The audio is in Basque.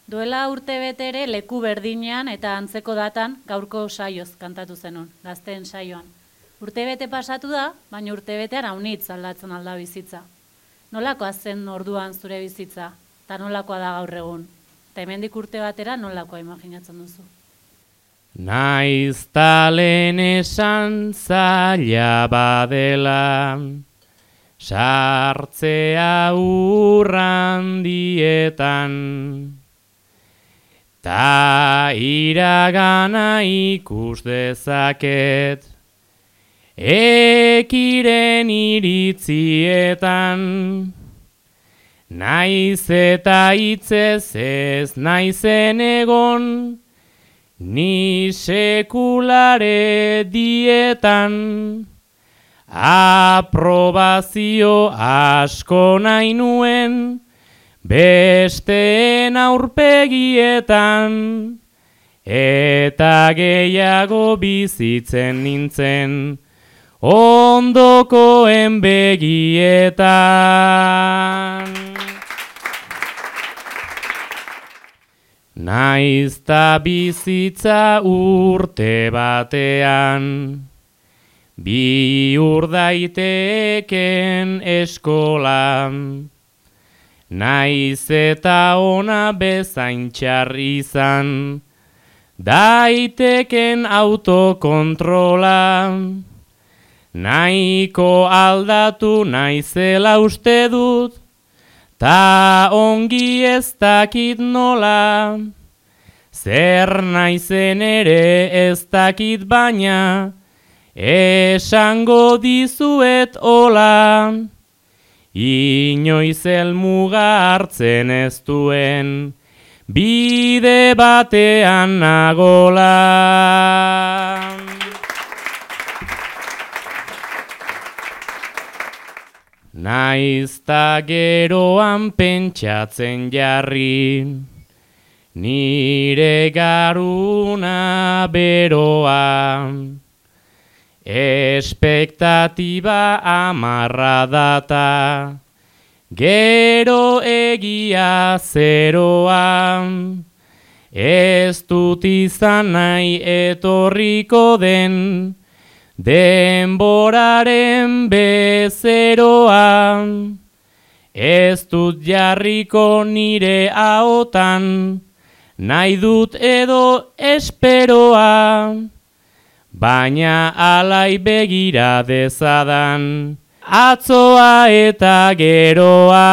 Duela urtebete ere leku berdinean eta antzeko datan gaurko saioz kantatu zenun, gazteen saioan. Urtebete pasatu da, baina urtebetean aunitz aldatzen alda bizitza. Nolakoa zen orduan zure bizitza, eta nolakoa da gaur egun? Eta hemendik urte batera nolakoa imaginatzen duzu? Naiz talen esan zaila badela, sartzea urrandietan, ta iragana ikus dezaket, ekiren iritzietan, naiz eta hitzez ez naizen egon, ni sekulare dietan, aprobazio asko nahi nuen, besteen aurpegietan, eta gehiago bizitzen nintzen, ondokoen begietan. Naizta bizitza urte batean, bi daiteken eskolan, naiz eta ona bezain txar izan, daiteken autokontrola, nahiko aldatu naizela uste dut, ta ongi ez dakit nola, zer naizen ere ez dakit baina, esango dizuet hola, inoiz helmuga hartzen ez duen, bide batean nagola. Naizta geroan pentsatzen jarri, nire garuna beroa, espektatiba amarra data, gero egia zeroa, ez dut izan nahi etorriko den, denboraren bezeroa, ez dut jarriko nire ahotan, nahi dut edo esperoa, baina alai begira dezadan, atzoa eta geroa.